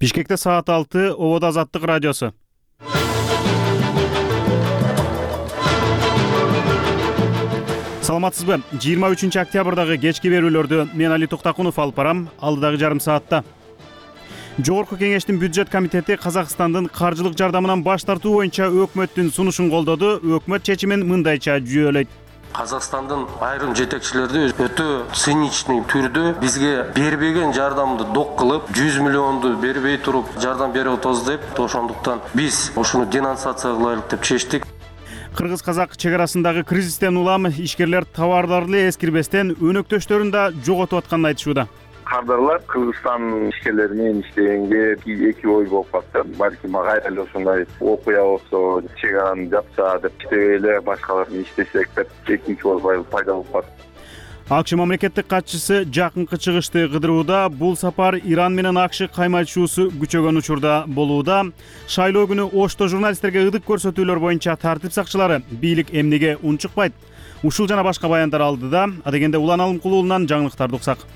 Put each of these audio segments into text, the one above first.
Бишкекте саат 6, Обод Азаттык радиосу. Саламатсызбы? 23 октябрдагы кечки берүүлөрдү мен Али Токтакунов алып барам. Алдыдагы жарым саатта Жогорку кеңештин бюджет комитети Казакстандын каржылык жардамынан баш тартуу боюнча өкмөттүн сунушун колдоду. Өкмөт чечимин мындайча жүйөлөйт. Казакстандын айрым жетекчилери өтө циничный түрдө бизге бербеген жардамды док кылып, 100 миллионду бербей туруп жардам берип атабыз деп, ошондуктан биз ушуну денонсация кылайлык деп чечтик. Кыргыз-казак чек арасындагы кризистен улам ишкерлер товарларды эскирбестен өнөктөштөрүн да жоготуп атканын айтышууда. Кардарлар Кыргызстан ишкерлери менен иштегенге эки ой болуп калды. Балким кайра эле ушундай окуя болсо, чек араны жапса деп иштебей эле башкалар иштесек деп экинчи ой пайда болуп калды. АКШ мамлекеттик катчысы жакынкы чыгышты кыдырууда. Бул сапар Иран менен АКШ каймачуусу күчөгөн учурда болууда. Шайлоо күнү Ошто журналисттерге ылдык көрсөтүүлөр боюнча тартип сакчылары бийлик эмнеге унчукпайт? Ушул жана башка баяндар алдыда. Адегенде Улан Алымкулуулунан жаңылыктарды уксак.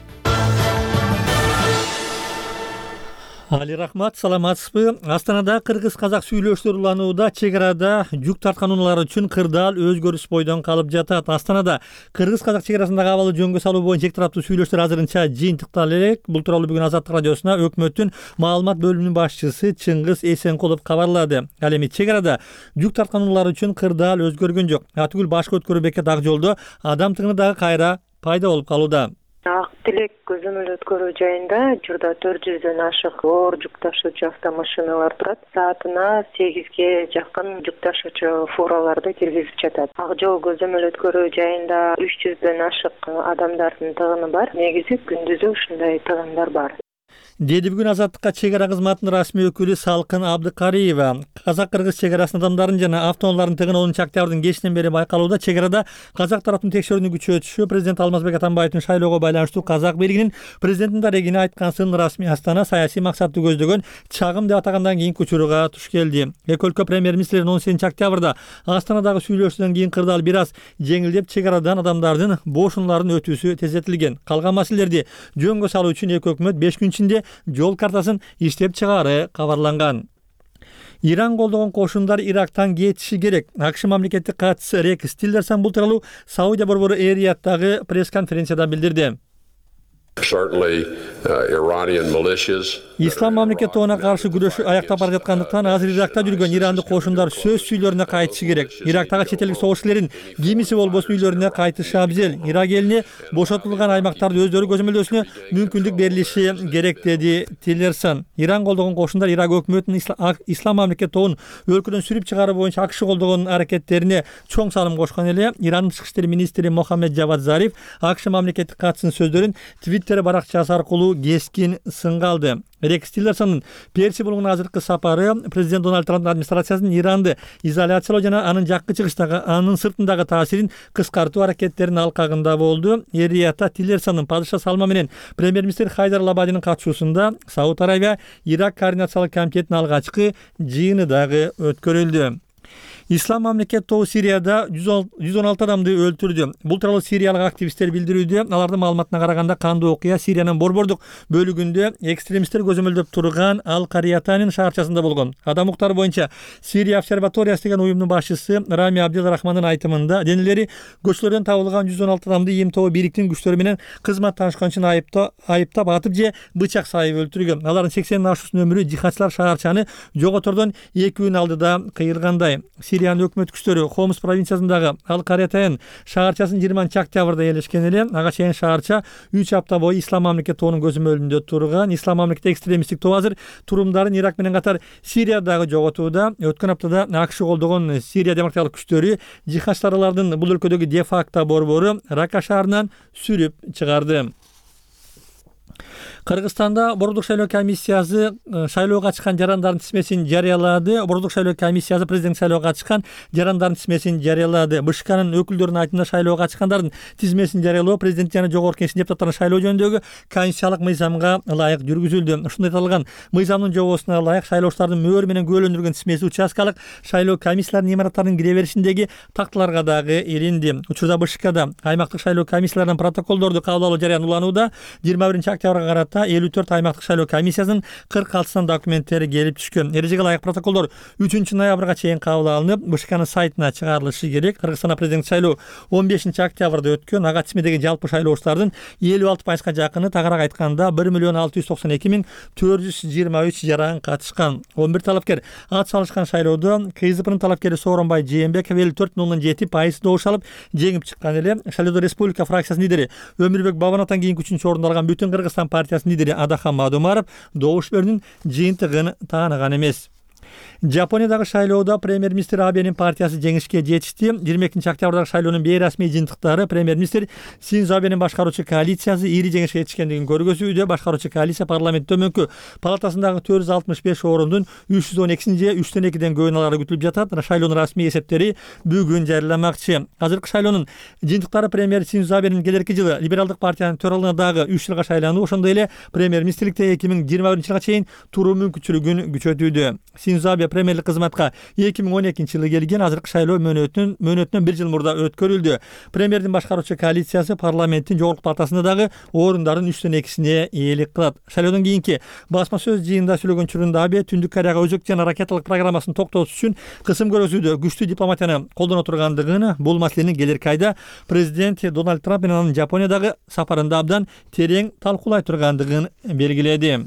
Али рахмат, саламатсызбы? Астанада кыргыз-казак сүйлөштөр уланууда. Чек арада жүк тарткан унаалар үчүн кырдаал өзгөрүш бойдон калып жатат. Астанада кыргыз-казак чек арасындагы абалды жөнгө салуу боюнча эки тараптуу сүйлөштөр азырынча жыйынтыкталып элек. Бул тууралуу бүгүн Азаттык радиосуна өкмөттүн маалымат бөлүмүнүн башчысы Чыңгыз Эсенкулов кабарлады. Ал эми чек арада жүк тарткан унаалар үчүн кырдаал өзгөргөн жок. Атүгүл башкы өткөрүү бекет ак жолдо адам тыгыны дагы кайра пайда болуп калууда. Ак Тилек көзөмөл өткөрүү жайында учурда 400дөн ашык оор жүк ташуучу автомашиналар турат. Саатына 8ге жакын жүк ташуучу фураларды киргизип жатат. Ак жол көзөмөл өткөрүү жайында 300дөн ашык адамдардын тыгыны бар. Негизи күндүзү ушундай тыгындар бар. Деди бүгүн Азаттыкка чек ара кызматынын расмий өкүлү Салкын Абдыкариева. Казак-кыргыз чек арасынын адамдарын жана автоунаалардын тыгыны 10 октябрдын кечинен бери байкалууда. Чек арада казак тараптын текшерүүнү күчөтүшү президент Алмазбек Атамбаевдин шайлоого байланыштуу казак бийлигинин президенттин дарегине айткансын расмий Астана саясий максатты көздөгөн чагым деп атагандан кийинки учурга туш келди. Эки өлкө премьер-министрлери 18 октябрда Астанадагы сүйлөшүүдөн кийин кырдаал бир аз жеңилдеп чек арадан адамдардын бош унаалардын өтүүсү тездетилген. Калган маселелерди жөнгө салуу үчүн эки өкмөт 5 күн ичинде жол картасын иштеп чыгаары кабарланган. Иран колдогон кошундар Ирактан кетиши керек. АКШ мамлекеттик катчысы Рекс Тиллерсон бул тууралуу Саудия борбору Эр-Рияттагы пресс-конференцияда билдирди. Ислам мамлекет тобуна каршы күрөшү аяктап бара жаткандыктан азыр Иракта жүргөн ирандык кошундар сөз үйлөрүнө кайтышы керек. Ирактагы чет элдик согушчулардын кимиси болбосун үйлөрүнө кайтышы абзел. Ирак элине бошотулган аймактарды өздөрү көзөмөлдөсүнө мүмкүндүк берилиши керек, деди Тиллерсон. Иран колдогон кошундар Ирак өкмөтүнүн Ислам мамлекет тобун өлкөдөн сүрүп чыгаруу боюнча АКШ колдогон аракеттерине чоң салым кошкон эле. Ирандын тышкы иштер министри Мохаммед Джавад Зариф АКШ мамлекеттик катчысынын сөздөрүн Твиттер баракчасы аркылуу кескин сынга алды. Рекс Тиллерсондун Перси булугуна азыркы сапары президент Дональд Трамптын администрациясынын Иранды изоляциялоо жана анын жаккы чыгыштагы, анын сыртындагы таасирин кыскартуу аракеттеринин алкагында болду. Эр-Риядда Тиллерсондун падыша Салма менен премьер-министр Хайдар Лабадинин катышуусунда Сауд Арабия Ирак координациялык комитетинин алгачкы жыйыны дагы өткөрүлдү. Ислам мамлекет тобу Сирияда 116 адамды өлтүрдү. Бул тууралуу сириялык активисттер билдирүүдө. Алардын маалыматына караганда кандуу окуя Сириянын борбордук бөлүгүндө экстремисттер көзөмөлдөп турган Ал-Кариятанин шаарчасында болгон. Адам укуктары боюнча Сирия обсерваториясы деген уюмдун башчысы Рами Абдел-Рахмандын айтымында денелери көчөлөрдөн табылган 116 адамды ИМ тобу бийликтин күчтөрү менен кызмат таанышкан үчүн айыптап атып же бычак сайып өлтүргөн. Алардын 80 ашуусунун өмүрү жихадчылар шаарчаны жоготордон 2 күн алдыда кыйылгандай. Сириянын өкмөт күчтөрү Хомс провинциясындагы Ал-Кариятан шаарчасын 20 октябрда ээлешкен эле. Ага чейин шаарча 3 апта бою Ислам мамлекет тобунун көзөмөлүндө турган. Ислам мамлекет экстремисттик тобу азыр турумдарын Ирак менен катар Сириядагы жоготууда. Өткөн аптада АКШ колдогон Сирия демократиялык күчтөрү жихадчылардын бул өлкөдөгү де-факто борбору Рака шаарынан сүрүп чыгарды. Кыргызстанда Бордук шайлоо комиссиясы шайлоого катышкан жарандардын тизмесин жарыялады. Бордук шайлоо комиссиясы президент шайлоого катышкан жарандардын тизмесин жарыялады. БШКнын өкүлдөрүнүн айтымында шайлоого катышкандардын тизмесин жарыялоо президент жана жогорку кеңештин депутаттарын шайлоо жөнүндөгү конституциялык мыйзамга ылайык жүргүзүлдү. Ушундай аталган мыйзамдын жобосуна ылайык шайлоочулардын мөөр менен күбөлөндүрүлгөн тизмеси участкалык шайлоо комиссияларынын имараттарынын кире беришиндеги такталарга дагы илинди. Учурда БШКда аймактык шайлоо комиссияларынын протоколдорду кабыл алуу жарыян уланууда. 21 октябрга карата аймакта 54 аймактык шайлоо комиссиясынын 46 документтери келип түшкөн. Эрежеге ылайык протоколдор 3 ноябрга чейин кабыл алынып, БШКнын сайтына чыгарылышы керек. Кыргызстанда президент шайлоо 15 октябрда өткөн. Ага тизмедеги жалпы шайлоочулардын 56%га жакыны, тагыраак айтканда 1.692.423 жаран катышкан. 11 талапкер ат салышкан шайлоодо КСДПнын талапкери Сооронбай Жээнбеков 54,07% добуш алып жеңип чыккан эле. Шайлоодо Республика фракциясынын лидери Өмүрбек Бабановдон кийин 3-үчү орунду алган Бүтүн Кыргызстан партиясынын лидери Адахан Мадумаров добуш берүүнүн жыйынтыгын тааныган эмес. Жапониядагы шайлоодо премьер-министр Абенин партиясы жеңишке жетишти. 22 октябрдагы шайлоонун бейрасмий жыйынтыктары премьер-министр Синдзо Абенин башкаруучу коалициясы ири жеңишке жетишкендигин көргөзүүдө. Башкаруучу коалиция парламент төмөнкү палатасындагы 465 орундун 312 же 3/2 көбүн алары күтүлүп жатат. Шайлоонун расмий эсептери бүгүн жарыяламакчы. Азыркы шайлоонун жыйынтыктары премьер Синдзо Абенин келерки жылы либералдык партиянын төралыгына дагы 3 жылга шайлануу, ошондой эле премьер-министрликте 2021-жылга чейин туруу мүмкүнчүлүгүн күчөтүүдө. Синдзо Абе премьерлик кызматка 2012-жылы келген. Азыркы шайлоо мөөнөтүнөн 1 жыл мурда өткөрүлдү. Премьердин башкаруучу коалициясы парламенттин жогорку палатасында дагы орундардын 3/2 ээлик кылат. Шайлоодон кийинки басма сөз жыйынында сүйлөгөн учурунда Абе Түндүк Кореяга өзөк жана ракеталык программасын токтотуш үчүн кысым көргөзүүдө күчтүү дипломатияны колдоно тургандыгын, бул маселени келерки айда президент Дональд Трамп менен анын Жапониядагы сапарында абдан терең талкуулай тургандыгын белгиледи.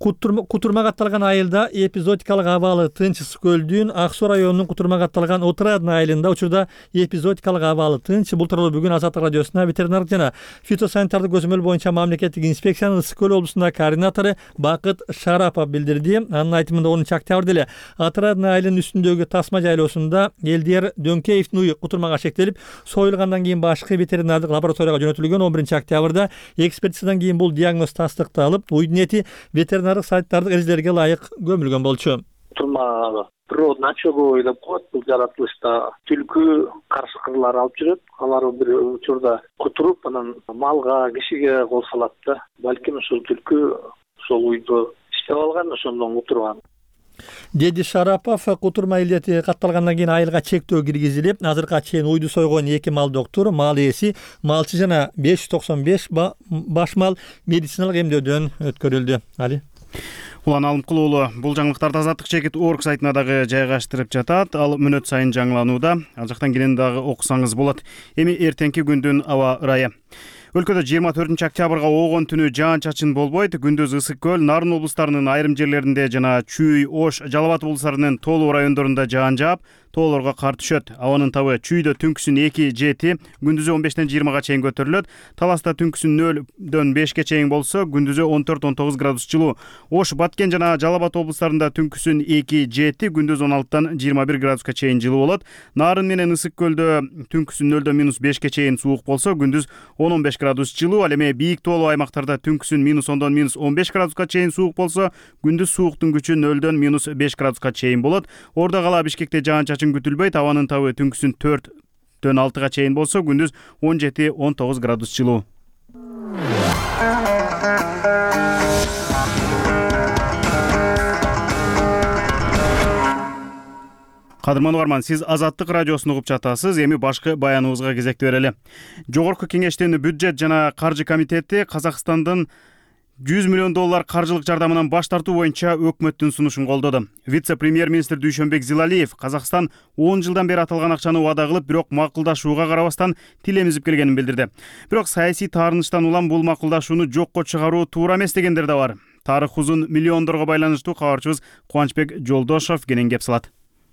Кутурмага атталган айылда эпизодикалык абалы тынч. Ысык көлдүн Ак Суу районунун Кутурмага атталган Отрадный айылында учурда эпизодикалык абалы тынч. Бул тууралуу бүгүн Азаттык радиосуна ветеринардык жана фитосанитардык көзөмөл боюнча мамлекеттик инспекциянын Ысык көл облусундагы координатору Бакыт Шарапов билдирди. Анын айтымында 10 октябрда эле Отрадный айылынын үстүндөгү тасма жайлоосунда Элдер Дөңкеевдин уйу кутурмага шектелип, союлгандан кийин башкы ветеринардык лабораторияга жөнөтүлгөн. 11 октябрда экспертизадан кийин бул диагноз тастыкталып, уйдун эти ветеринардык сайттардык эрежелерге ылайык көмүлгөн болчу. Кутурма природный очогу деп коет. Бул жаратылышта түлкү каршыкырлар алып жүрөт. Алар бир учурда кутуруп, анан малга, кишиге кол салат да. Балким ушул түлкү ошол уйду иштеп алган, ошондон кутурган. Деди Шарапов, кутурма илдети катталгандан кийин айылга чектөө киргизилип, азыркыга чейин уйду сойгон 2 мал доктор, мал ээси, малчы жана 595 баш мал медициналык эмдөөдөн өткөрүлдү. Али Улан Алымкул уулу бул жаңылыктарды Азаттык чекит орг сайтына дагы жайгаштырып жатат. Ал мүнөт сайын жаңыланууда. Ал жактан келен дагы окусаңыз болот. Эми эртеңки күндүн аба ырайы. Өлкөдө 24 октябрга оогон түнү жаан-чачын болбойт. Күндүз Ысык көл, Нарын облустарынын айрым жерлеринде жана Чүй, Ош, Жалал Абад облустарынын тоолуу райондорунда жаан жаап, тоолорго кар түшөт. Абанын табы Чүйдө түнкүсүн 2-7, күндүзү 15-тен 20-га чейин көтөрүлөт. Таласта түнкүсүн 0-дөн 5-ке чейин болсо, күндүзү 14-19 градус жылуу. Ош, Баткен жана Жалал Абад облустарында түнкүсүн 2-7, күндүз 16-тан 21 градуска чейин жылуу болот. Нарын менен Ысык көлдө түнкүсүн 0-дөн -5-ке чейин суук болсо, күндүз 10-15 градус жылуу. Ал эми бийик тоолуу аймактарда түнкүсүн -10-дон -15 градуска чейин суук болсо, күндүз сууктун күчү 0-дөн -5 градуска чейин болот. Ордо кала Бишкекте жаан-чачын күтүлбөйт. Абанын табы түнкүсүн 4-дөн 6-га чейин болсо, күндүз 17-19 градус жылуу. Кадырман угарман, сиз Азаттык радиосун угуп жатасыз. Эми башкы баяныбызга кезекти берели. Жогорку Кеңештин бюджет жана каржы комитети Казакстандын $100 миллион каржылык жардамынан баш тартуу боюнча өкмөттүн сунушун колдоду. Вице-премьер-министр Дүйшөнбек Зилалиев Казакстан 10 жылдан бери аталган акчаны убада кылып, бирок макулдашууга карабастан тил эмизип келгенин билдирди. Бирок саясий таарынычтан улам бул макулдашууну жокко чыгаруу туура эмес дегендер да бар. Тарых узун миллиондорго байланыштуу кабарчыбыз Кубанычбек Жолдошов кенен кеп салат.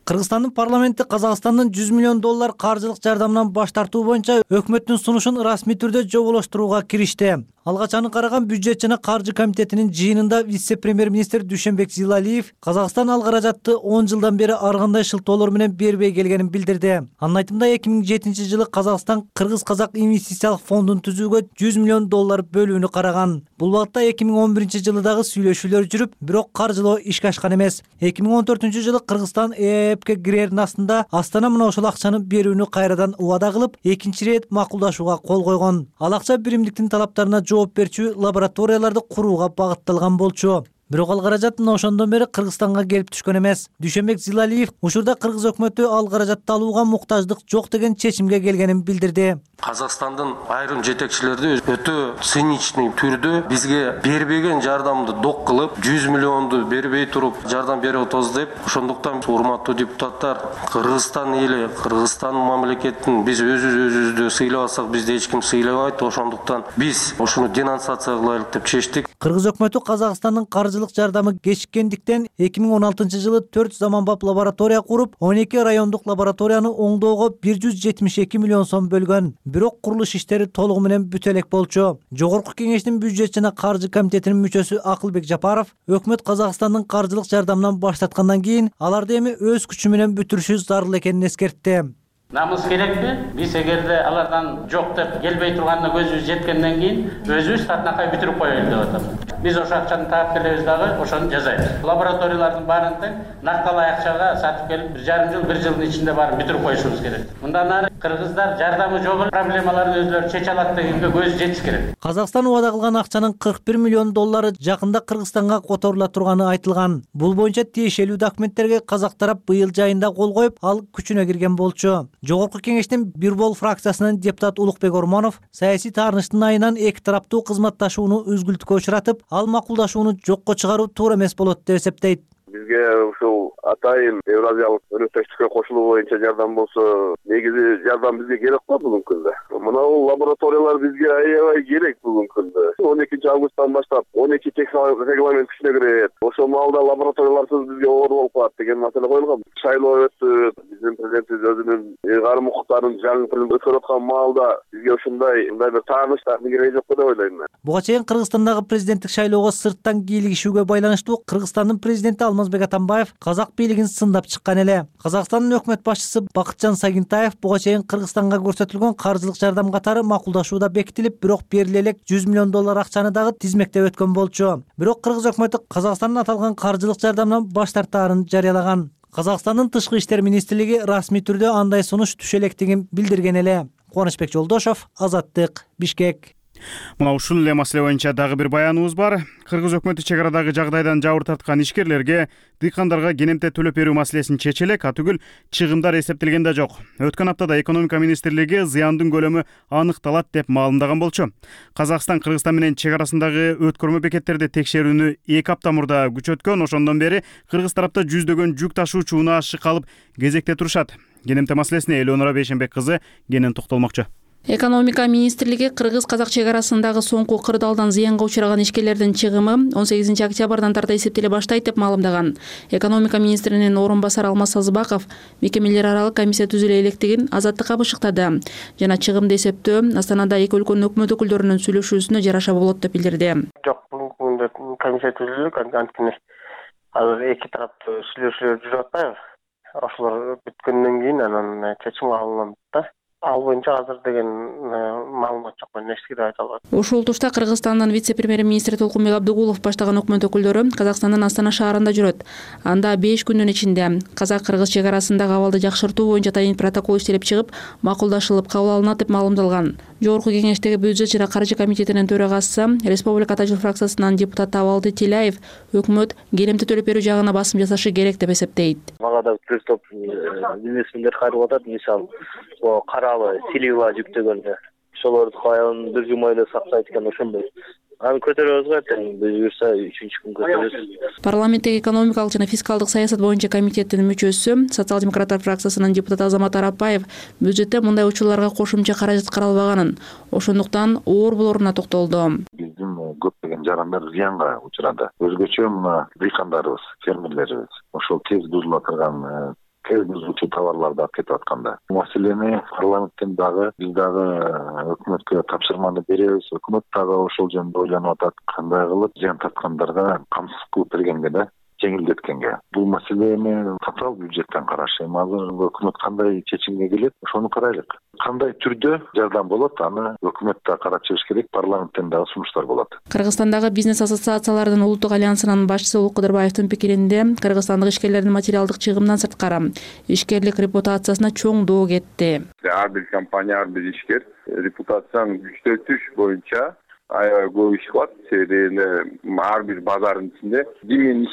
Кыргызстандын парламенти Казакстандын $100 миллион каржылык жардамынан баш тартуу боюнча өкмөттүн сунушун расмий түрдө жоболоштурууга киришти. Алга чаны караган бюджет жана каржы комитетинин жыйынында вице-премьер-министр Дүйшөнбек Зилалиев Казакстан ал каражатты 10 жылдан бери ар кандай шылтоолор менен бербей келгенин билдирди. Анын айтымында 2007-жылы Казакстан Кыргыз-Казак инвестициялык фондун түзүүгө $100 миллион бөлүүнү караган. Бул багытта 2011-жылы дагы сүйлөшүүлөр жүрүп, бирок каржылоо ишке ашкан эмес. 2014-жылы Кыргызстан ЭЭПке кирердин астында Астана мына ошол акчаны берүүнү кайрадан убада кылып, экинчи ирет макулдашууга кол койгон. Ал акча биримдиктин талаптарына жооп берчү лабораторияларды курууга багытталган болчу. Бирок ал каражат мына ошондон бери Кыргызстанга келип түшкөн эмес. Дүйшөнбек Зилалиев учурда кыргыз өкмөтү ал каражатты алууга муктаждык жок деген чечимге келгенин билдирди. Казакстандын айрым жетекчилери өтө циничный түрдө бизге бербеген жардамды док кылып, 100 миллионду бербей туруп жардам берип атабыз деп, ошондуктан урматтуу депутаттар, Кыргызстан эли, Кыргызстан мамлекетин биз өзүбүздү сыйлабасак, бизди эч ким сыйлабайт. Ошондуктан биз ушуну денонсация кылайлык деп чечтик. Кыргыз өкмөтү Казакстандын каржылык жардамы кечиккендиктен 2016-жылы 4 заманбап лаборатория куруп, 12 райондук лабораторияны оңдоого 172 миллион сом бөлгөн. Бирок курулуш иштери толугу менен бүтө элек болчу. Жогорку кеңештин бюджет жана каржы комитетинин мүчөсү Акылбек Жапаров өкмөт Казакстандын каржылык жардамынан баш тарткандан кийин аларды эми өз күчү менен бүтүрүшү зарыл экенин эскертти. Намыс керекпи? Биз эгерде алардан жок деп келбей турганына көзүбүз жеткенден кийин өзүбүз татынакай бүтүрүп коелу деп атабыз. Биз ошо акчаны таап келебиз дагы ошону жасайбыз. Лабораториялардын баарын тең накталай акчага сатып келип 1,5 жыл, 1 жылдын ичинде баарын бүтүрүп коюшубуз керек. Мындан ары кыргыздар жардамы жок проблемаларын өзлөрү чече алат дегенге көзү жетиш керек. Казакстан убада кылган акчанын 41 миллион доллары жакында Кыргызстанга которула турганы айтылган. Бул боюнча тиешелүү документтерге казак тарап быйыл жайында кол коюп, ал күчүнө кирген болчу. Жогорку кеңештин Бирбол фракциясынын депутат Улукбек Ормонов саясий таарынычтын айынан эки тараптуу кызматташууну үзгүлтүккө учуратып, ал макулдашууну жокко чыгаруу туура эмес болот деп эсептейт. Бизге ушул атайын Евразиялык өнөктөштүккө кошулуу боюнча жардам болсо, негизи жардам бизге керек го бүгүнкү күндө. Мына бул лабораториялар бизге аябай керек бүгүнкү күндө. 12-августтан баштап 12 регламент күчүнө кирет. Ошол маалда лабораторияларсыз бизге оор болуп калат деген маселе коюлган. Шайлоо өттү, биздин президентибиз өзүнүн ыйгарым укуктарын жаңы өткөрүп аткан маалда бизге ушундай бир тааныштардын кереги жок деп ойлойм мен. Буга чейин Кыргызстандагы президенттик шайлоого сырттан кийлигишүүгө байланыштуу Кыргызстандын президенти Алмазбек Атамбаев казак бийлигин сындап чыккан эле. Казакстандын өкмөт башчысы Бакытжан Сагинтаев буга чейин Кыргызстанга көрсөтүлгөн каржылык жардам катары макулдашууда бекитилип, бирок бериле элек 100 миллион доллар акчаны дагы тизмектеп өткөн болчу. Бирок Кыргыз өкмөтү Казакстандын аталган каржылык жардамдан баш тартаарын жарыялаган. Казакстандын тышкы иштер министрлиги расмий түрдө андай сунуш түшө электигин билдирген эле. Кубанычбек Жолдошов, Азаттык, Бишкек. Мына ушул эле маселе боюнча дагы бир баяныбыз бар. Кыргыз өкмөтү чек арадагы жагдайдан жабыр тарткан ишкерлерге дыйкандарга кенемте төлөп берүү маселесин чече элек, атүгүл чыгымдар эсептелген да жок. Өткөн аптада экономика министрлиги зыяндын көлөмү аныкталат деп маалымдаган болчу. Казакстан Кыргызстан менен чек арасындагы өткөрмө бекеттерди текшерүүнү 2 апта мурда күчөткөн. Ошондон бери кыргыз тарапта жүздөгөн жүк ташуучу унаа ашык алып кезекте турушат. Кенемте маселесине Элеонора Бейшенбек кызы кенен токтолмокчу. Экономика министрлиги кыргыз-казак чек арасындагы соңку кырдаалдан зыянга учураган ишкерлердин чыгымы 18 октябрдан тарта эсептеле баштайт деп маалымдаган. Экономика министринин орун басары Алмаз Сазыбаков мекемелер аралык комиссия түзүлө электигин Азаттыкка бышыктады жана чыгымды эсептөө Астанада эки өлкөнүн өкмөт өкүлдөрүнүн сүйлөшүүсүнө жараша болот деп билдирди. Жок, бүгүн комиссия түзүлдү, анткени азыр эки тараптуу сүйлөшүүлөр жүрүп атпайбы? Ошолор бүткөндөн кийин анан чечим кабылданат да. Ал боюнча азыр деген маалымат жок, мен эч нерсе айта албайм. Ушул турда Кыргызстандын вице-премьер-министри Толкунбек Абдыгулов баштаган өкмөт өкүлдөрү Казакстандын Астана шаарында жүрөт. Анда 5 күндүн ичинде казак-кыргыз чек арасындагы абалды жакшыртуу боюнча атайын протокол иштелип чыгып, макулдашылып кабыл алынат деп маалымдалган. Жогорку кеңештеги бюджет жана каржы комитетинин төрагасы, Республика Тажыл фракциясынан депутат Абалды Тилаев өкмөт кенемте төлөп берүү жагына басым жасашы керек деп эсептейт. Мага бир топ бизнесмендер кайрылып атат, мисалы, каралы Силива жүктөгөн ошолорду каян бир жума эле сактайт экен, ошондой. Аны көтөрөбүз го, буюрса 3-күн көтөрөбүз. Парламенттеги экономикалык жана фискалдык саясат боюнча комитеттин мүчөсү, социал-демократтар фракциясынын депутаты Азамат Арапбаев бюджетте мындай учурларга кошумча каражат каралбаганын, ошондуктан оор болоруна токтолду. Биздин көптөгөн жарандар зыянга учурады. Өзгөчө мына дыйкандарыбыз, фермерлерибиз ошол тез бузула турган бузуучу товарларды алып кетип атканда. Маселени парламенттен дагы биз дагы өкмөткө тапшырманы беребиз. Өкмөт дагы ошол жөнүндө ойлонуп атат. Кандай кылып зыян тарткандарга камсыз кылып бергенге да жеңилдеткенге. Бул маселени тотал бюджеттен карашым. Азыр өкмөт кандай чечимге келет, ошону карайлык. Кандай түрдө жардам болот, аны өкмөт да карап чыгыш керек, парламенттен дагы сунуштар болот. Кыргызстандагы бизнес ассоциациялардын улуттук альянсынын башчысы Улук Кыдырбаевдин пикиринде, кыргызстандык ишкерлердин материалдык чыгымынан сырткары ишкерлик репутациясына чоңдоо кетти. Ар бир компания, ар бир ишкер репутацияны күчтөтүш боюнча аябай көп иш кылат. Себеби эле ар бир базардын ичинде ким менен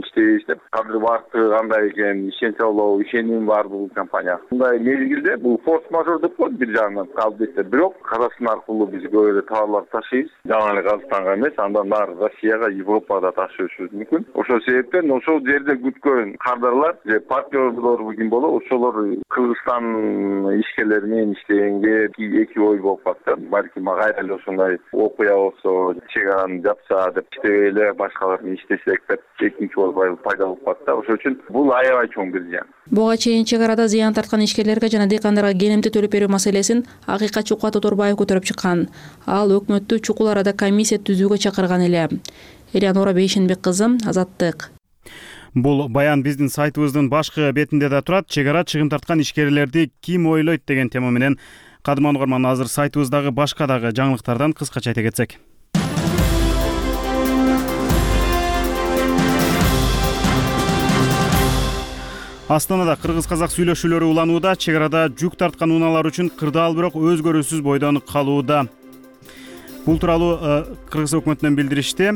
иштейбиз деп кадыр баркы кандай экен, ишенче болобу, ишеним бар бул компания. Мындай мезгилде бул форс-мажор деп коет бир жагынан албетте. Бирок Казакстан аркылуу биз көп эле товарларды ташыйбыз. Жана эле Казакстанга эмес, андан нары Россияга, Европага да ташыышыбыз мүмкүн. Ошол себептен ошол жерде күткөн кардарлар же партнерлор ким болобу, ошолор Кыргызстан ишкерлери менен иштегенге эки ой болуп калат. Балким кайра эле ошондой окуя болсо, чегараны жапса деп иштебей эле башкалар менен иштесек деп экинчи ой пайда болуп калат да. Ошол үчүн бул аябай чоң бир зыян. Буга чейин чек арада зыян тарткан ишкерлерге жана дыйкандарга келемти төлөп берүү маселесин акыйкат Чукат Оторбаев көтөрүп чыккан. Ал өкмөттү чукул арада комиссия түзүүгө чакырган эле. Элеонора Бейшенбек кызы, Азаттык. Бул баян биздин сайтыбыздын башкы бетинде да турат. Чек ара чыгым тарткан ишкерлерди ким ойлойт деген тема менен кадырман угарман, азыр сайтыбыздагы башка дагы жаңылыктардан кыскача айта кетсек. Астанада кыргыз-казак сүйлөшүүлөрү уланууда. Чек арада жүк тарткан унаалар үчүн кырдаал бирок өзгөрүүсүз бойдон калууда. Бул тууралуу Кыргыз өкмөтүнөн билдиришти.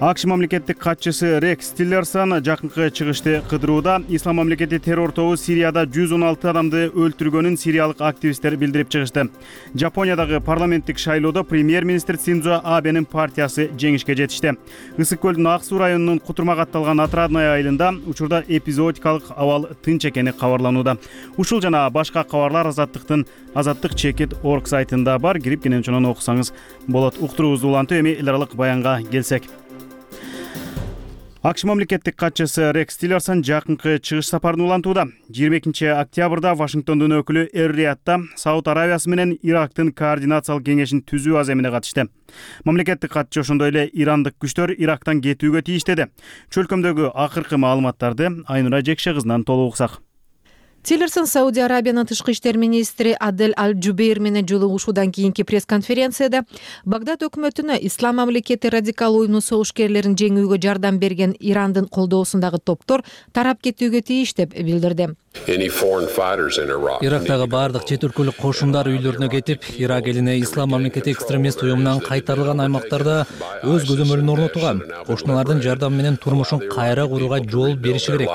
АКШ мамлекеттик катчысы Рекс Тиллерсон жакынкы чыгышты кыдырууда. Ислам мамлекети террор тобу Сирияда 116 адамды өлтүргөнүн сириялык активисттер билдирип чыгышты. Жапониядагы парламенттик шайлоодо премьер-министр Синдзо Абенин партиясы жеңишке жетишти. Ысык көлдүн Ак Суу районунун Кутурмак атталган Отрадная айылында учурда эпизодикалык абал тынч экени кабарланууда. Ушул жана башка кабарлар Азаттык чекит орг сайтында бар. Кирип кенен окусаңыз болот. Уктуруубузду улантып эми эл аралык баянга келсек. АКШ мамлекеттик катчысы Рекс Тиллерсон жакынкы чыгыш сапарын улантууда. 22 октябрда Вашингтондун өкүлү Эр-Риядда Сауд Аравиясы менен Ирактын координациялык кеңешин түзүү аземине катышты. Мамлекеттик катчы ошондой эле ирандык күчтөр Ирактан кетүүгө тийиштеди. Чөлкөмдөгү акыркы маалыматтарды Айнура Жекше кызынан толук уксак. Тиллерсон Сауди Арабиянын тышкы иштер министри Адель Аль-Джубейр менен жолугушуудан кийинки пресс-конференцияда Багдад өкмөтүнө Ислам мамлекети радикал уюмунун согушкерлерин жеңүүгө жардам берген Ирандын колдоосундагы топтор тарап кетүүгө тийиш деп билдирди. Ирактагы бардык чет өлкөлүк кошундар үйлөрүнө кетип, Ирак элине Ислам мамлекети экстремист уюмунан кайтарылган аймактарда өз көзөмөлүн орнотууга, кошуналардын жардамы менен турмушун кайра курууга жол бериши керек.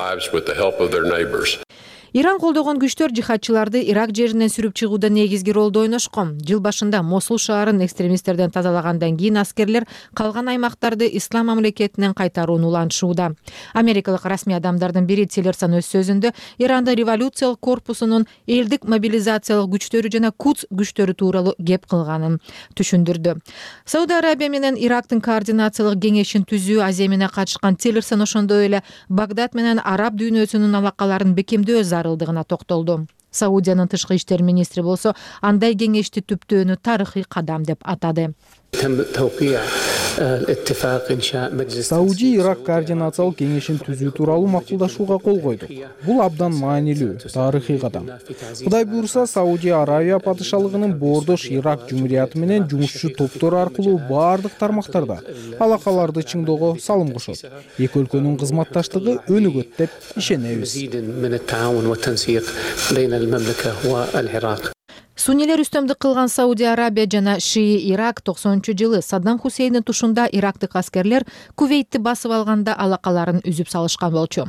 Иран колдогон күчтөр жихадчыларды Ирак жеринен сүрүп чыгууда негизги ролду ойношкон. Жыл башында Мосул шаарын экстремисттерден тазалагандан кийин аскерлер калган аймактарды Ислам мамлекетинен кайтарууну улантышууда. Америкалык расмий адамдардын бири Тиллерсон өз сөзүндө Ирандын революциялык корпусунун элдик мобилизациялык күчтөрү жана Кудс күчтөрү тууралуу кеп кылганын түшүндүрдү. Сауд Арабия менен Ирактын координациялык кеңешин түзүү аземине катышкан Тиллерсон ошондой эле Багдад менен араб дүйнөсүнүн алакаларын бекемдөө зарылдыгына токтолду. Саудиянын тышкы иштер министри болсо андай кеңешти түптөөнү тарыхый кадам деп атады. Сауди Ирак координациялык кеңешин түзүү тууралуу макулдашууга кол койду. Бул абдан маанилүү, тарыхый кадам. Кудай буйрса, Сауди Аравия падышалыгынын боордош Ирак жумурияты менен жумушчу топтору аркылуу бардык тармактарда алакаларды чыңдоого салым кошот. Эки өлкөнүн кызматташтыгы өнүгөт деп ишенебиз. Суннилер үстөмдүк кылган Сауди Арабия жана Шии Ирак 90-жылы Саддам Хусейндин тушунда ирактык аскерлер Кувейтти басып алганда алакаларын үзүп салышкан болчу.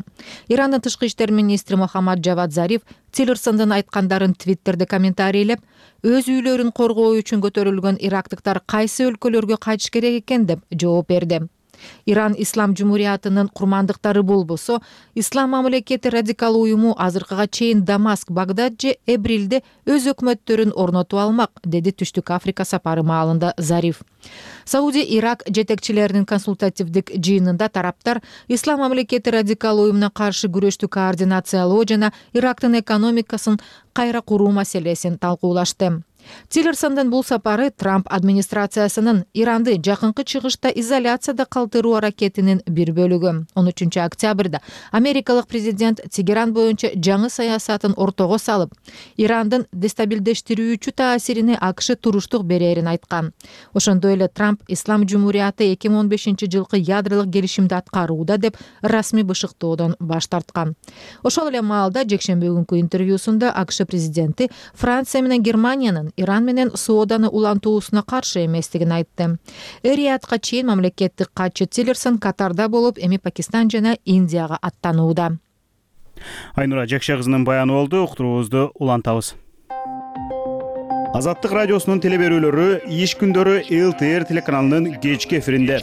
Ирандын тышкы иштер министри Мохаммад Джавад Зариф Тиллерсондун айткандарын Твиттерде комментарийлеп, өз үйлөрүн коргоо үчүн көтөрүлгөн ирактыктар кайсы өлкөлөргө кайтыш керек экен деп жооп берди. Иран Ислам жумуриятынын курмандыктары болбосо, Ислам мамлекети радикал уюму азыркыга чейин Дамаск, Багдад же Эбрилде өз өкмөттөрүн орнотуп алмак, деди Түштүк Африка сапары маалында Зариф. Сауди Ирак жетекчилеринин консультативдик жыйынында тараптар Ислам мамлекети радикал уюмуна каршы күрөштү координациялоо жана Ирактын экономикасын кайра куруу маселесин талкуулашты. Тиллерсондун бул сапары Трамп администрациясынын Иранды жакынкы чыгышта изоляцияда калтыруу аракетинин бир бөлүгү. 13 октябрда америкалык президент Тегеран боюнча жаңы саясатын ортого салып, Ирандын дестабилдештирүүчү таасирине АКШ туруштук берерин айткан. Ошондой эле Трамп Ислам жумурияты 2015-жылкы ядролук келишимди аткарууда деп расмий бышыктоодон баш тарткан. Ошол эле маалда жекшемби күнкү интервьюсунда АКШ президенти Франция менен Германиянын Иран менен сооданы улантуусуна каршы эместигин айтты. Риядка чейин мамлекеттик катчы Тиллерсон Катарда болуп, эми Пакистан жана Индияга аттанууда. Айнура Жакша кызынын баяны болду. Уктуруубузду улантабыз. Азаттык радиосунун телеберүүлөрү иш күндөрү ЛТР телеканалынын кечки эфиринде.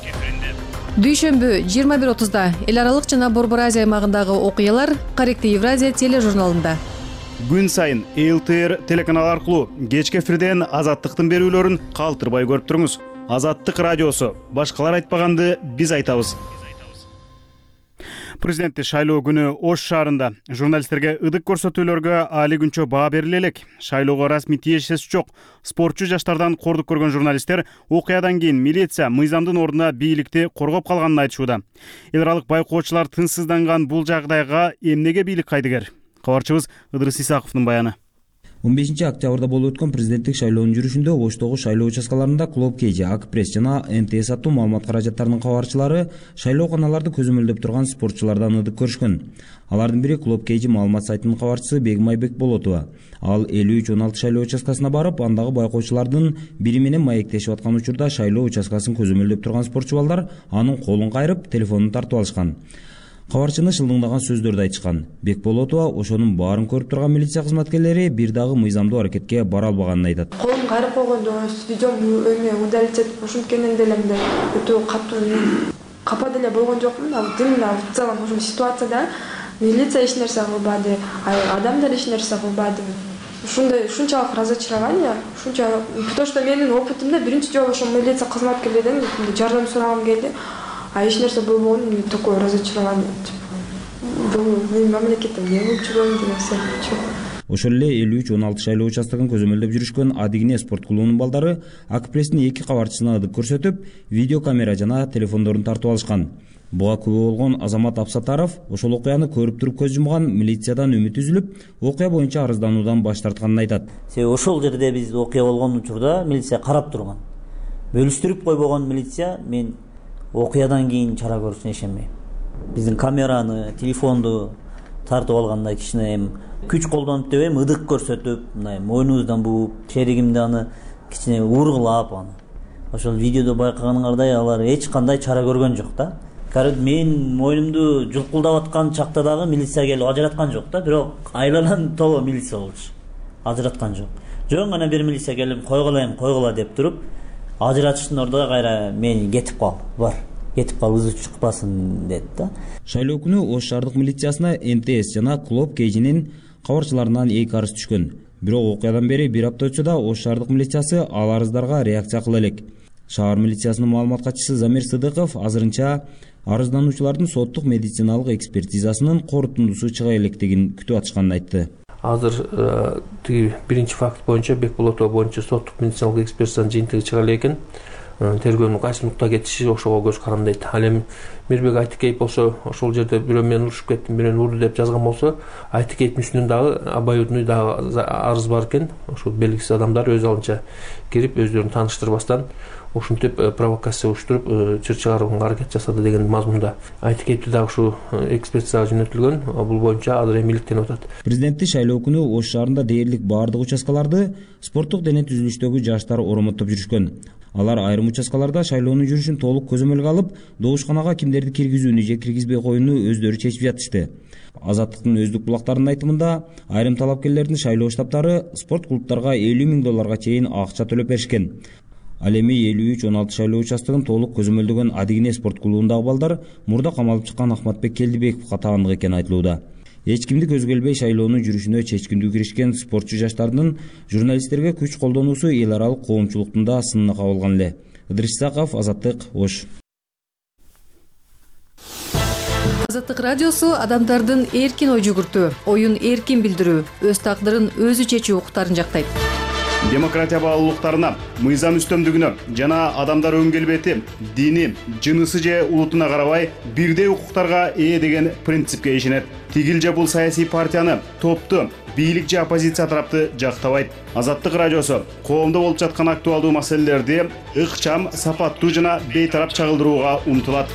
Дүйшөмбү 21:30 эл аралык жана Борбор Азия аймагындагы окуялар Каректи Евразия тележурналында. Күн сайын ЛТР телеканалы аркылуу кечки эфирден Азаттыктын берүүлөрүн калтырбай көрүп туруңуз. Азаттык радиосу. Башкалар айтпаганды биз айтабыз. Президенттик шайлоо күнү Ош шаарында журналисттерге ыдык көрсөтүүлөргө али күнчө баа бериле элек. Шайлоого расмий тиешеси жок спортчу жаштардан кордук көргөн журналисттер окуядан кийин милиция мыйзамдын ордуна бийликти коргоп калганын айтышууда. Эл аралык байкоочулар тынчсызданган бул жагдайга эмнеге бийлик кайдыгер? Кабарчыбыз Ыдырыс Исаковдун баяны. 15-октябрда болуп өткөн президенттик шайлоонун жүрүшүндө Оштогу шайлоо участкаларында Клуб KG, Акпресс жана НТС аттуу маалымат каражаттарынын кабарчылары шайлооканаларды көзөмөлдөп турган спортчулардан ыдык көрүшкөн. Алардын бири Клуб KG маалымат сайтынын кабарчысы Бегим Айбек Болотова. Ал 53-16 шайлоо участкасына барып, андагы байкоочулардын бири менен маектешип аткан учурда шайлоо участкасын көзөмөлдөп турган спортчу балдар анын колун кайрып, телефонун тартып алышкан. Кабарчыны шылдыңдаган сөздөрдү айтышкан. Бекболотова ошонун баарын көрүп турган милиция кызматкерлери бир дагы мыйзамдуу аракетке бара албаганын айтат. Колум кайрып койгондо видеом эме удалить этип ошонткенен деле мындай өтө катуу капа деле болгон жокмун. Демиле в целом ушул ситуацияда милиция эч нерсе кылбады, адамдар эч нерсе кылбады. Ушундай ушунчалык разочарование, ушунчалык, потому что менин опытымда биринчи жолу ошо милиция кызматкерлеринен жардам сурагым келди. А эч нерсе болбогон, такое разочарование. Бул мамлекеттен эмне болуп жүргөн деген сыяктуу. Ошол эле 53-16 шайлоо участогун көзөмөлдөп жүрүшкөн Адигине спорт клубунун балдары Акпресстин 2 кабарчысына ыдык көрсөтүп, видеокамера жана телефондорун тартып алышкан. Буга күбө болгон Азамат Абсатаров ошол окуяны көрүп туруп көз жумган, милициядан үмүт үзүлүп, окуя боюнча арыздануудан баш тартканын айтат. Себеби ошол жерде биз окуя болгон учурда милиция карап турган. Бөлүштүрүп койбогон милиция мен окуядан кийин чара көрүшүнө ишенбейм. Биздин камераны, телефонду тартып алганда кичине эми күч колдонуп деп эми ыдык көрсөтүп, мындай мойнубуздан бууп, шеригимди аны кичине ургулап аны. Ошол видеодо байкаганыңардай алар эч кандай чара көргөн жок да. Мен мойнумду жулкулдап аткан чакта дагы милиция келип ажыраткан жок да, бирок айланан толо милиция болчу. Ажыраткан жок. Жөн гана бир милиция келип койгула деп туруп, ажыратыштын ордуна кайра мен кетип кал, бар. Кетип кал, ызы чыкпасын деди да. Шайлоо күнү Ош шаардык милициясына НТС жана Клуб KG'нин кабарчыларынан 2 арыз түшкөн. Бирок окуядан бери 1 апта өтсө да Ош шаардык милициясы ал арыздарга реакция кыла элек. Шаар милициясынын маалымат катчысы Замир Сыдыков азырынча арыздануучулардын соттук медициналык экспертизасынын корутундусу чыга электигин күтүп атышканын айтты. Азыр тиги биринчи факт боюнча Бекболотова боюнча соттук медициналык экспертизанын жыйынтыгы чыга элекин. Тергөөнүн кайсы нукта кетиши ошого көз карандайт. Ал эми Мирбек Айтыкеев болсо ошол жерде бирөө менен урушуп кеттим, бирөөнү урду деп жазган болсо, Айтыкеевдин үстүнөн дагы обоюдный дагы арыз бар экен. Ошол белгисиз адамдар өз алынча кирип өздөрүн тааныштырбастан ушинтип провокация уюштуруп чыр чыгарууга аракет жасады деген мазмунда. Айтыкеевди дагы ушу экспертизага жөнөтүлгөн. Бул боюнча азыр эми иликтенип атат. Президенттик шайлоо күнү Ош шаарында дээрлик баардык участкаларды спорттук дене түзүлүштөгү жаштар оромоттоп жүрүшкөн. Алар айрым участкаларда шайлоонун жүрүшүн толук көзөмөлгө алып, добушканага кимдерди киргизүүнү же киргизбей коюуну өздөрү чечип жатышты. Азаттыктын өздүк булактарынын айтымында, айрым талапкерлердин шайлоо штабтары спорт клубтарга $50,000 чейин акча төлөп беришкен. Ал эми 53-16 шайлоо участогун толук көзөмөлдөгөн Адигине спорт клубундагы балдар мурда камалып чыккан Ахматбек Келдибековго таандык экени айтылууда. Эч кимди көзгө илбей шайлоонун жүрүшүнө чечкиндүү киришкен спортчу жаштардын журналисттерге күч колдонуусу эл аралык коомчулуктун да сынына кабылган эле. Ыдырыс Исаков, Азаттык, Ош. Азаттык радиосу адамдардын эркин ой жүгүртүү, оюн эркин билдирүү, өз тагдырын өзү чечүү укуктарын жактайт. Демократия баалуулуктарына, мыйзам үстөмдүгүнө жана адамдар өң келбети, дини, жынысы же улутуна карабай бирдей укуктарга ээ деген принципке ишенет. Тигил же бул саясий партияны, топту, бийлик же оппозиция тарапты жактабайт. Азаттык радиосу коомдо болуп жаткан актуалдуу маселелерди ыкчам, сапаттуу жана бейтарап чагылдырууга умтулат.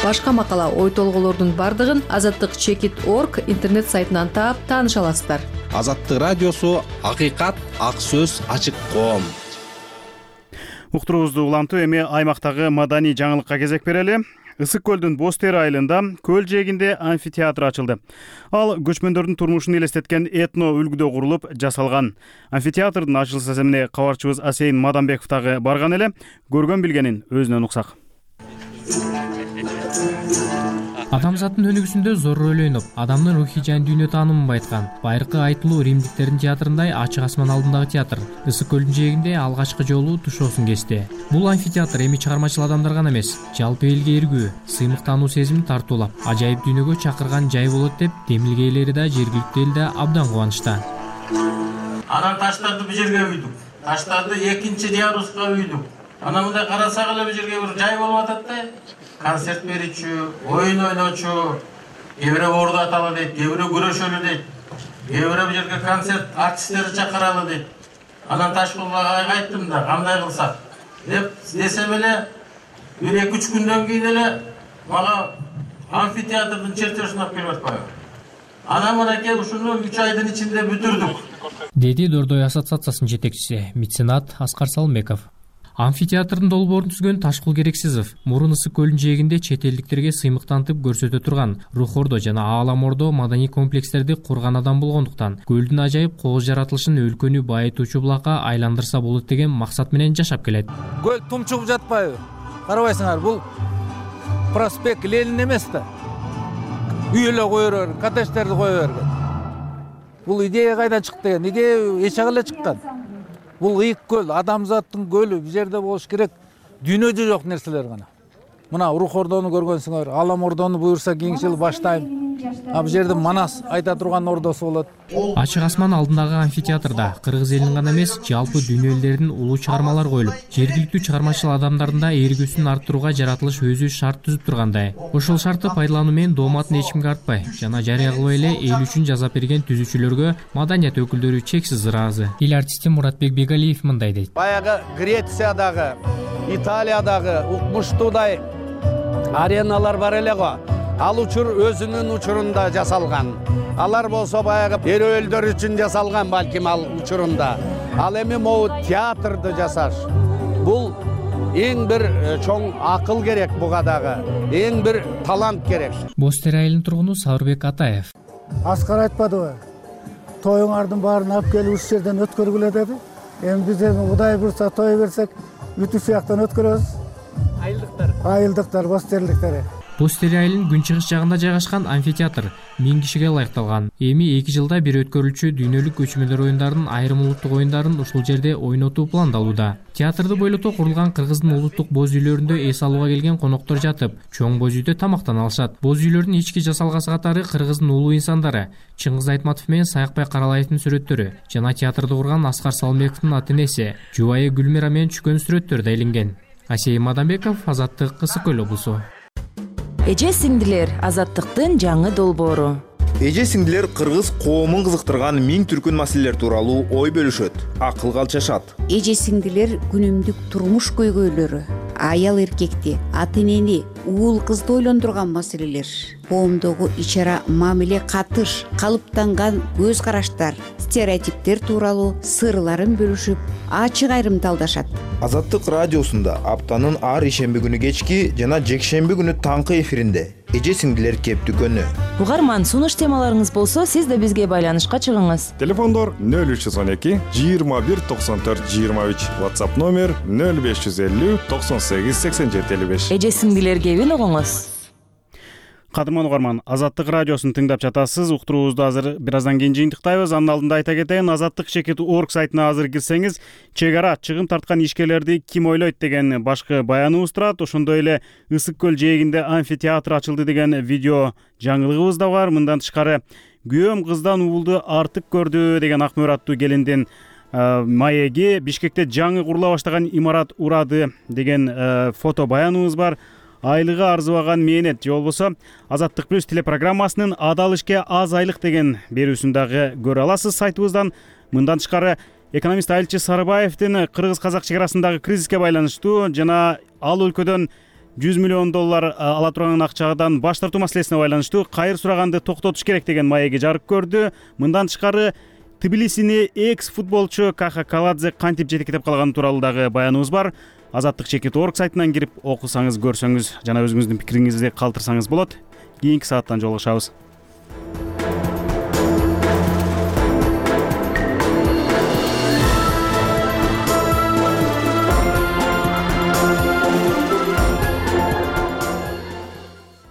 Башка макала, ой толголордун бардыгын azattik.org интернет сайтынан таап тааныша аласыздар. Азаттык радиосу акыйкат, ак сөз, ачык коом. Уктуруубузду улантып эми аймактагы маданий жаңылыкка кезек берели. Ысык көлдүн Боз Тери айылында көл жээгинде амфитеатр ачылды. Ал көчмөндөрдүн турмушун элестеткен этно үлгүдө курулуп жасалган. Амфитеатрдын ачылыш саземине кабарчыбыз Асейин Маданбеков дагы барган эле. Көргөн билгенин өзүнөн уксак. Адамзаттын өнүгүүсүндө зор роль ойноп, адамдын рухий жан дүйнө таанымын байыткан байыркы айтылуу римдиктердин театрындай ачык асман алдындагы театр Ысык көлдүн жээгинде алгачкы жолу тушоосун кести. Бул амфитеатр эми чыгармачыл адамдар гана эмес, жалпы элге эргүү, сыймыктануу сезимин тартуулап, ажайып дүйнөгө чакырган жай болот деп демилге ээлери да жергиликтүү эл да абдан кубанычта. Анан таштарды бул жерге үйдүк. Таштарды экинчи яруска үйдүк. Анан мындай карасак эле бул жерге бир жай болуп атат да. Концерт берүүчү, оюн ойночу, кээ бирөө оордаталы дейт, кээ бирөө күрөшөлү дейт, кээ бирөө бул жерге концерт артисттерди чакыралы дейт. Анан Ташкулга айттым да, кандай кылсак деп десем эле, бир 2-3 күндөн кийин эле мага амфитеатрдын чертежин алып келип атпайбы. Анан мынакей ушуну 3 айдын ичинде бүтүрдүк. Деди Дордой ассоциациясынын жетекчиси, меценат Аскар Салымбеков. Амфитеатрдын долбоорун түзгөн Ташкул Керексизов мурун Ысык көлүнүн жээгинде чет элдиктерге сыймыктантып көрсөтө турган Рухордо жана Ааламордо маданий комплекстерди курган адам болгондуктан көлдүн ажайып кооз жаратылышын өлкөнү байытуучу булакка айландырса болот деген максат менен жашап келет. Көл тумчугуп жатпайбы? Карабайсыңар, бул проспект Ленин эмес да. Үй эле кое берген, коттедждерди кое берген. Бул идея кайдан чыкты деген? Идея эч жак эле чыккан. Бул ыйык көл, адамзаттын көлү, бул жерде болуш керек дүйнөдө жок нерселер гана. Мына Рухордону көргөнсүңөр, Ааламордону буюрса кийинки жылы баштайм. Бул жерде Манас айта турган ордосу болот. Ачык асман алдындагы амфитеатрда кыргыз элинин гана эмес, жалпы дүйнө элдеринин улуу чыгармалар коюлуп, жергиликтүү чыгармачыл адамдардын да эргүүсүн арттырууга жаратылыш өзү шарт түзүп тургандай. Ошол шартты пайдалануу менен дооматын эч кимге артпай жана жарыя кылбай эле эл үчүн жазап берген түзүүчүлөргө маданият өкүлдөрү чексиз ыраазы. Ил артисти Муратбек Бегалиев мындай дейт. Баягы Грециядагы, Италиядагы укмуштуудай ареналар бар эле го. Ал учур өзүнүн учурунда жасалган. Алар болсо баягы эрөөлдөр үчүн жасалган балким ал учурунда. Ал эми могу театрды жасаш. Бул эң бир чоң акыл керек буга дагы. Эң бир талант керек. Боз Тери айылынын тургуну Сабырбек Атаев. Аскар айтпадыбы? Тоюңардын баарын алып келип ушул жерден өткөргүлө деди. Эми биз Кудай буйрса той берсек, бүтү сыяктан өткөрөбүз. Айылдыктар, Боз Териликтер. Боз Тери айылынын күнчыгыш жагында жайгашкан амфитеатр 1000 кишиге ылайыкталган. Эми 2 жылда бир өткөрүлчү дүйнөлүк көчмөндөр оюндарынын айрым улуттук оюндарын ушул жерде ойнотуу пландалууда. Театрды бойлото курулган Кыргыздын улуттук боз үйлөрүндө эс алууга келген коноктор жатып, чоң боз үйдө тамактана алышат. Боз үйлөрдүн ички жасалгасы катары Кыргыздын улуу инсандары Чыңгыз Айтматов менен Саякбай Каралаевдин сүрөттөрү жана театрды курган Аскар Салымбековдун ата-энеси жубайы Гүлмира менен түшкөн сүрөттөр да илинген. Асейин Маданбеков, Азаттык, Ысык көл облусу. Эже сиңдилер, Азаттыктын жаңы долбоору. Эже сиңдилер кыргыз коомун кызыктырган миң түркүн маселелер тууралуу ой бөлүшөт, акылга алчашат. Эже сиңдилер күнүмдүк турмуш көйгөйлөрү, аял эркекти, ата энени, уул кызды ойлондурган маселелер, коомдогу ичара мамиле катыш, калыптанган көз караштар, стереотиптер тууралуу сырларын бөлүшүп, ачык айрымталдашат. Азаттык радиосунда аптанын ар ишемби күнү кечки жана жекшемби күнү таңкы эфиринде эже сиңдилер кептүкөнү. Угарман, сунуш темаларыңыз болсо, сиз да бизге байланышка чыгыңыз. Телефондор 0312 21 94 23, WhatsApp номер 0550 98 87 55. Эже сиңдилер кебин угуңуз. Кадырман угарман, Азаттык радиосун тыңдап жатасыз. Уктуруубузду азыр бир аздан кийин жыйынтыктайбыз. Анын алдында айта кетейин, azattik.org сайтына азыр кирсеңиз, чек ара чыгым тарткан ишкерлерди ким ойлойт деген башкы баяныбыз турат. Ошондой эле Ысык көл жээгинде амфитеатр ачылды деген видео жаңылыгыбыз да бар. Мындан тышкары күйөөм кыздан уулду артык көрдү деген Акмөр аттуу келиндин маеги, Бишкекте жаңы курула баштаган имарат урады деген фото баяныбыз бар. Айлыгы арзыбаган мээнет же болбосо Азаттык плюс телепрограммасынын адал ишке аз айлык деген берүүсүн дагы көрө аласыз сайтыбыздан. Мындан тышкары экономист Айылчы Сарыбаевдин кыргыз-казак чек арасындагы кризиске байланыштуу жана ал өлкөдөн $100 миллион ала турган акчадан баш тартуу маселесине байланыштуу кайыр сураганды токтотуш керек деген маеги жарык көрдү. Мындан тышкары Тбилисини экс футболчу Каха Каладзе кантип жетектеп калганы тууралуу дагы баяныбыз бар. Азаттык.org сайтынан кирип окусаңыз, көрсөңүз жана өзүңүздүн пикириңизди калтырсаңыз болот. Кийинки сааттан жолугушабыз.